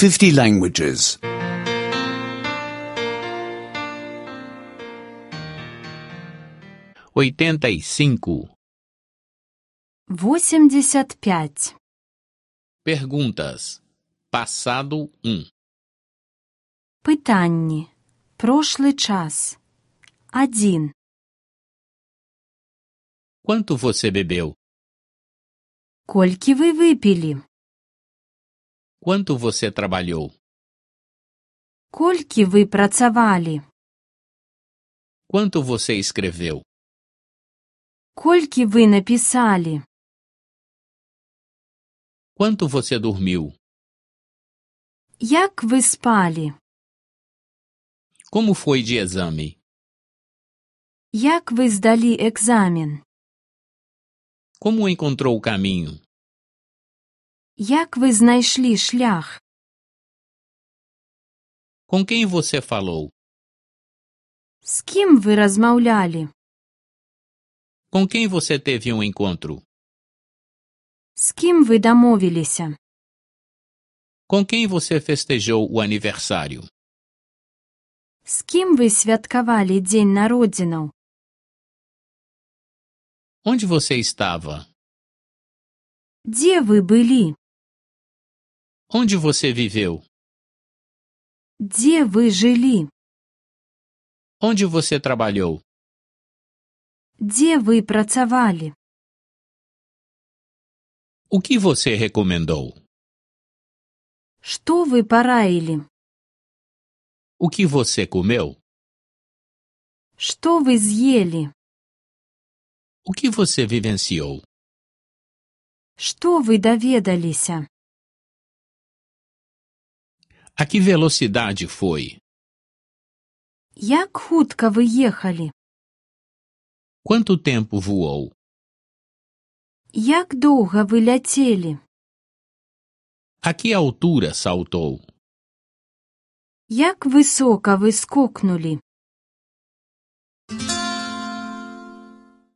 50 languages. 85. 85. Perguntas. Passado 1. Пытанні. Прошлы час. 1. Quanto você bebeu? Колькі вы выпілі? Quanto você trabalhou? Колькі вы працавалі? Quanto você escreveu? Колькі вы напісалі? Quanto você dormiu? Як вы спалі? Como foi de exame? Як вы здалі экзамен? Como encontrou o caminho? Як вы знайшлі шлях? Com quem você falou? З кім вы размаўлялі? Com quem você teve um encontro? З кім вы дамовіліся? Com quem você festejou o aniversário? З кім вы святкавалі дзень народзінаў? Onde você estava? Дзе вы былі? Onde você viveu? Дзе вы жылі? Onde você trabalhou? Дзе вы працавалі? O que você recomendou? Што вы параілі? O que você comeu? Што вы з'елі? O que você vivenciou? Што вы даведаліся? A que velocidade foi? Як хутка вы ехалі? Quanto tempo voou? Як доўга вы ляцелі? A que altura saltou? Як высока вы скокнулі?